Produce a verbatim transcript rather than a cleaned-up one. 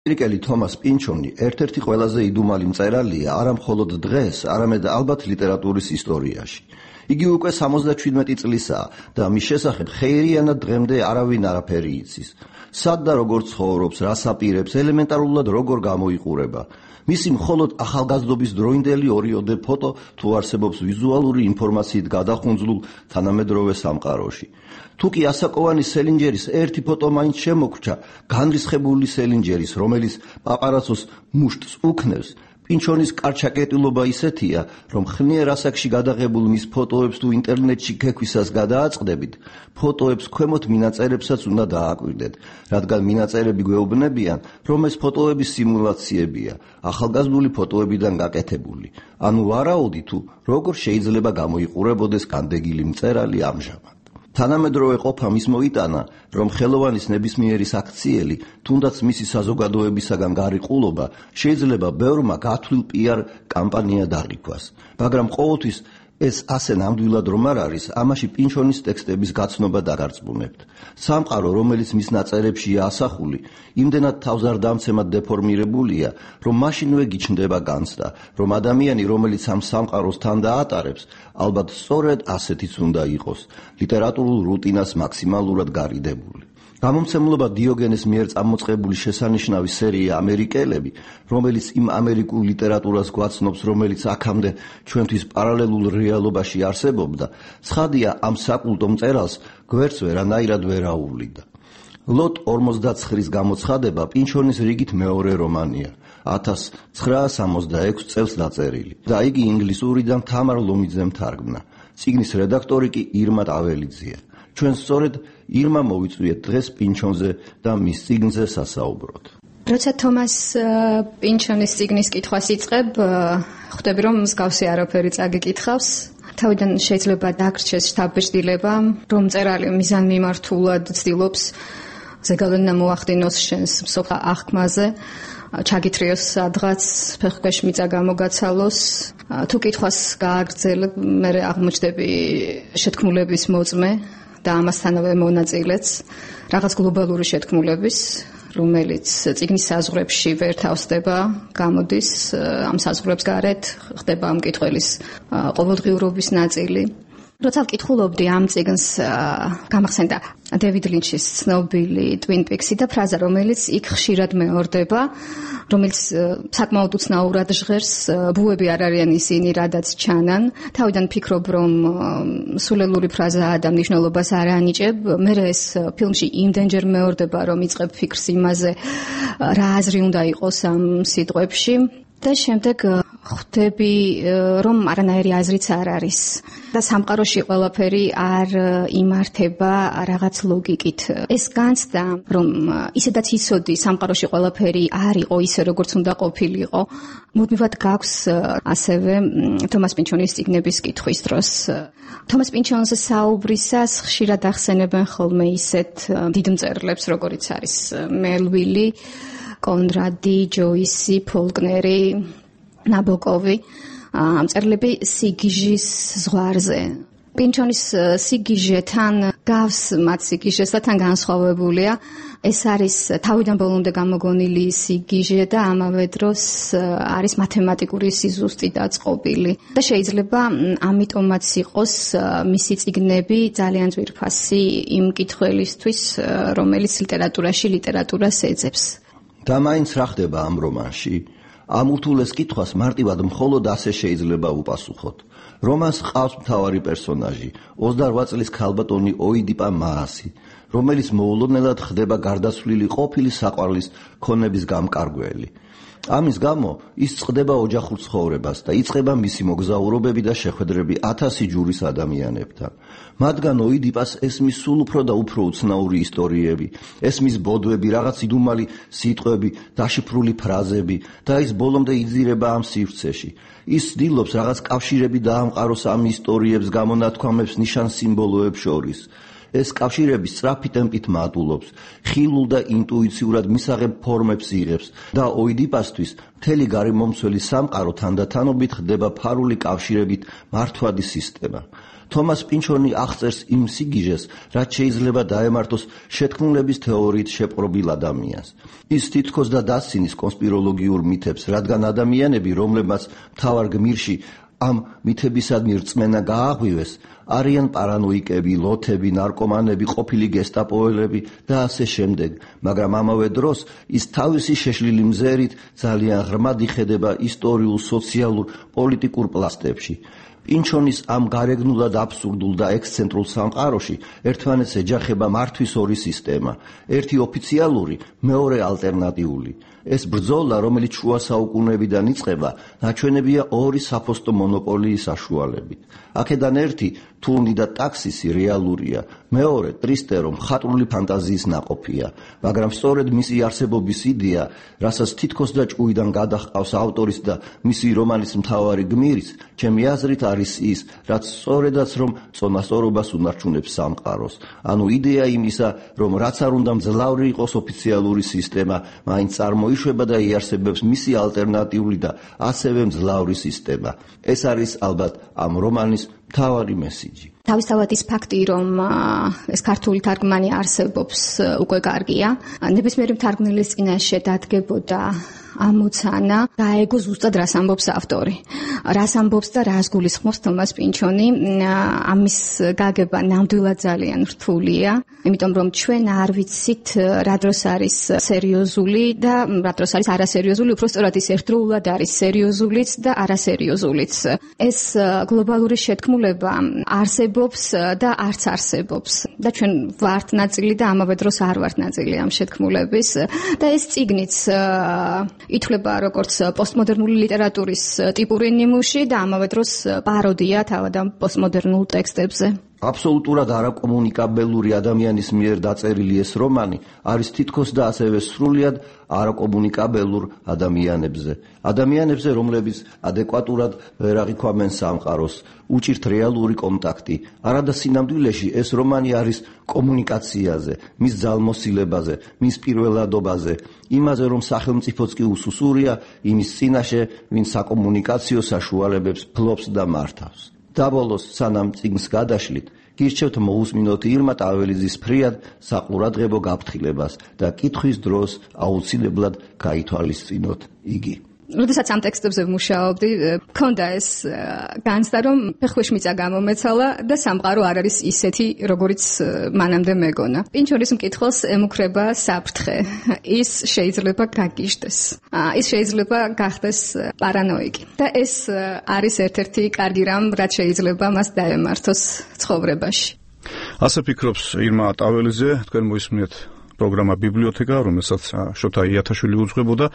ამერიკელი თომას პინჩონი ერთ-ერთი ყველაზე იდუმალი მწერალია არა მხოლოდ დღეს, არამედ ალბათ ლიტერატურის ისტორიაში. იგი უკვე სამოცდაჩვიდმეტი წლისაა და მის შესახებ ხეირიანად დღემდე არავინ არაფერი იცის. სად და როგორ ცხოვრობს, რას აპირებს, ელემენტარულად როგორ გამოიყურება. მისი მხოლოდ ახალგაზრდობის დროინდელი ორიოდე ფოტო თუ არსებობს ვიზუალური ინფორმაციით გადახუნძლულ თანამედროვე სამყაროში. თუ კი ასაკოვანი სელინჯერის ერთი ფოტო მაინც შემოგრჩა, განრისხებული სელინჯერის, რომელიც პაპარაცოს მუშტს უქნევს, პინჩონის კარჩაკეტილობა ისეთია, რომ ხნიერ ასაკში გადაღებულ მის ფოტოებს თუ ინტერნეტში გექვისას გადააწყდებით, ფოტოებს ქვემოთ მინაწერებსაც უნდა დააკვირდეთ, რადგან მინაწერები გვეუბნებიან, რომ ეს ფოტოების სიმულაციებია, ახალგაზრდული ფოტოებიდან გაკეთებული. ანუ ვარაუდი თუ როგორ შეიძლება გამოიყურებოდეს განდეგილი მწერალი ამჟამად. თანამედროვე ყოფა მის მოიტანა, რომ ხელოვანის ნებისმიერი საქციელი, თუნდაც მისი საზოგადოებისაგან გარიყულობა, შეიძლება ბევრმა გათვლილ პიარ კამპანიად აღიქვას. მაგრამ ყოველთვის ეს ასე ნამდვილად რომ არ არის, ამაში პინჩონის ტექსტების გაცნობა დაგარწმუნებთ. სამყარო, რომელიც მის ნაწერებშია ასახული, იმდენად თავზარდამცემად დეფორმირებულია, რომ მაშინვე გიჩნდება განცდა, რომ ადამიანი, რომელიც ამ სამყაროს თან დაატარებს, ალბათ სწორედ ასეთიც უნდა იყოს, ლიტერატურულ რუტინას მაქსიმალურად გარიდებული. გამომცემლობა დიოგენეს მიერ წამოწყებული შესანიშნავი სერია ამერიკელები, რომელიც იმ ამერიკულ ლიტერატურას გვაცნობს, რომელიც აქამდე ჩვენთვის პარალელურ რეალობაში არსებობდა, ცხადია ამ საკულტო მწერალს გვერდს ვერანაირად ვერ აუვლიდა. ლოტ ორმოცდაცხრის გამოცხადება პინჩონის რიგით მეორე რომანია, ათას ცხრაას სამოცდაექვსი წელს დაწერილი და იგი ინგლისურიდან თამარ ლომიძემ თარგმნა. წიგნის რედაქტორი კი ირმა ტაველიძეა. ჩვენ სწორედ ირმა მოვიწვიეთ დღეს პინჩონზე და მის წიგნზე სასაუბროთ. როცა თომას პინჩონის წიგნის კითხვას იწყებ, ხვდები რომ მსგავსი არაფერი წაგიკითხავს. თავიდან შეიძლება დაგრჩეს შთაბეჭდილება, რომ მწერალი მიზანმიმართულად ცდილობს ზეგავლენა მოახდინოს შენს მსოფლ აღქმაზე, ჩაგითრიოს სადღაც, ფეხქვეშ მიწა გამოგაცალოს. თუ კითხვას გააგრძელებ, მე აღმოჩნდები შეთქმულების მოწმე და ამასთანავე მონაწილეც, რაღაც გლობალური შეთქმულების, რომელიც წიგნის საზღვრებში ვერ თავსდება, გამოდის ამ საზღვრებს გარეთ, ხდება ამ კითხველის ყოველდღიურობის ნაწილი. როცა ვკითხულობდი ამ წიგნს, გამახსენდა დევიდ ლინჩის ცნობილი Twin Peaks-ი და ფრაზა, რომელიც იქ ხშირად მეორდება, რომელიც საკმაოდ უცნაურად ჟღერს, ბუები არ არიან ისინი, რადაც ჩანან. თავიდან ფიქრობ, რომ სულელური ფრაზაა და მნიშვნელობას არ ანიჭებ. მე ეს ფილმში იმდენჯერ მეორდება, რომ იწყებ ფიქრს იმაზე, რა აზრი უნდა იყოს ამ სიტყვებში. და შემდეგ ხვდები, რომ არანაირი აზრიც არ არის და სამყაროში ყველაფერი არ იმართება რაღაც ლოგიკით. ეს განცდა, რომ ისედაც იცოდი სამყაროში ყველაფერი არ იყო ისე, როგორც უნდა ყოფილიყო, მუდმივად გაქვს ასევე თომას პინჩონის წიგნების კითხვის დროს. თომას პინჩონზე საუბრისას ხშირად ახსენებენ ხოლმე ისეთ დიდ მწერლებს, როგორიც არის მელვილი, კონრადი, ჯოისი, ფოლკნერი, ნაბოკოვი, მწერლები სიგიჟის ზღვარზე. პინჩონის სიგიჟეთან გავს მათ სიგიჟეს და თან განსხვავებულია. ეს არის თავიდან ბოლომდე გამოგონილი სიგიჟე და ამავე დროს არის მათემატიკური სიზუსტი დაწყობილი. და შეიძლება ამიტომაც იყოს მისი წიგნები ძალიან ძვირფასი იმ კითხველისთვის, რომელიც ლიტერატურაში ლიტერატურას ეძებს. და მაინც რა ხდება ამ რომანში? ამ უთულეს კითხვას მარტივად მხოლოდ ასე შეიძლება უპასუხოთ. რომანს ყავს მთავარი პერსონაჟი, ოცდაორ წლის ქალბატონი ოიდიპა მაასი, რომელიც მოულოდნელად ხდება გარდაცვლილი ყოფილი საყვარლის ქონების გამკარგველი. ამის გამო ის წყდება ოჯახურ ცხოვრებას და იწყება მისი მოგზაურობები და შეხვედრები ათასი ჯურის ადამიანებთან. მათგან ოიდიპას ესმის სულ უფრო და უფრო უცნაური ისტორიები, ესმის ბოდვები, რაღაც იდუმალი სიტყვები, დაშიფრული ფრაზები და ის ბოლომდე იძირება ამ სივრცეში. ის ცდილობს რაღაც კავშირები დაამყაროს ამ ისტორიებს გამონათქვამებს ნიშან სიმბოლოებს შორის. ეს კავშირები სწრაფი ტემპით მატულობს, ხილულ და ინტუიციურად მისაღებ ფორმებს იღებს და ოიდიპასთვის მთელი გარემომცველი სამყარო თანდათანობით ხდება ფარული კავშირებით მართვადი სისტემა. თომას პინჩონი აღწერს იმ სიგიჟეს, რაც შეიძლება დაემართოს შეთქმულების თეორიით შეპყრობილ ადამიანს. ის თითქოს და დასცინის კონსპიროლოგიურ მითებს, რადგან ადამიანები, რომლებმაც მთავარ გმირში ამ მითებისადმი რწმენა გააღვივეს, არიან პარანოიკები, ლოთები, ნარკომანები, ყოფილი გესტაპოელები და ასე შემდეგ, მაგრამ ამავე დროს ის თავისი შეშლილი მზერით ძალიან ღრმად იხედება ისტორიულ, სოციალურ, პოლიტიკურ პლასტებში. პინჩონის ამ გარეგნულად აბსურდულ და ექსცენტრულ სამყაროში ერთმანეთს ეჯახება მართვის ორი სისტემა, ერთი ოფიციალური, მეორე ალტერნატიული. ეს ბრძოლა, რომელიც შუა საუკუნეებიდან იწყება, ნაჩვენებია ორი საფოსტო მონოპოლიის საშუალებით. აქედან ერთი, თურნი და ტაქსისი რეალურია, მეორე, ტრისტერო, მხატვრული ფანტაზიის ნაყოფია, მაგრამ სწორედ მისი არსებობის იდეა, რასაც თითქოს და ჭუიდან გადაჰყავს ავტორის და მისი რომანის მთავარი გმირის, ჩემი აზრით არის ის, რაც სწორედაც რომ წონასწორობას უნარჩუნებს სამყაროს. ანუ იდეა იმისა, რომ რაც არ უნდა მძლავრი იყოს ოფიციალური სისტემა, მაინც წარმოიშვება და იარსებებს მისი ალტერნატიული და ასევე მძლავრი სისტემა. ეს არის ალბათ ამ რომანის მთავარი მესიჯი. თავისთავად ის ფაქტი, რომ ეს ქართული თარგმანი არსებობს, უკვე კარგია. ნებისმიერი მთარგმნელის წინაშე დადგებოდა ამოცანა გაეგო ზუსტად რას ამბობს ავტორი. რას ამბობს და რას გულისხმობს თომას პინჩონი. ამის გაგება ნამდვილად ძალიან რთულია, იმიტომ რომ ჩვენ არ ვიცით რა დროს არის სერიოზული და რა დროს არის არასერიოზული, უფრო სწორად ის ერთდროულად არის სერიოზულიც და არასერიოზულიც. ეს გლობალური შეთქმულება არსებობს და არც არსებობს და ჩვენ ვართ ნაწილი და ამავე დროს არ ვართ ნაწილი ამ შეთქმულების და ეს წიგნიც ითვლება როგორც პოსტმოდერნული ლიტერატურის ტიპური ნიმუში და ამავე დროს პაროდია თავად ამ პოსტმოდერნულ ტექსტებზე. აბსოლუტურად არაკომუნიკაბელური ადამიანის მიერ დაწერილი ეს რომანი არის თითქოს და ასევე სრულიად არაკომუნიკაბელურ ადამიანებზე. ადამიანებზე, რომლებიც ადეკვატურად ვერ აღიქვამენ სამყაროს, უჭირთ რეალური კონტაქტი. არადა სინამდვილეში ეს რომანი არის კომუნიკაციაზე, მის ძალმოსილებაზე, მის პირველადობაზე, იმაზე, რომ სახელმწიფოც კი უსუსურია იმის წინაშე, ვინც საკომუნიკაციო საშუალებებს ფლობს და მართავს. დაბოლოს, სანამ წიგნს გადაშლით, გირჩევთ მოусმინოთ ირმა ტაველიძის ფრიად საყურადღებო გაფრთხილებას და კითხვის დროს აუცილებლად გაითვალისწინოთ იგი. როდესაც ამ ტექსტებზე ვმუშაობდი, მქონდა ეს განცდა, რომ ფეხქვეშ მიწა გამომეცალა და სამყარო არ არის ისეთი, როგორიც მანამდე მეგონა. პინჩონის მკითხველს ემუქრება საფრთხე. ის შეიძლება გაგიჟდეს. ის შეიძლება გახდეს პარანოიკი. და ეს არის ერთ-ერთი კარგი რამ, რაც შეიძლება მას დაემართოს ცხოვრებაში. ასე ფიქრობს ირმა ტაველიძე, თქვენ მოისმინეთ პროგრამა ბიბლიოთეკა, რომელსაც შოთა იათაშვილი უძღვებოდა.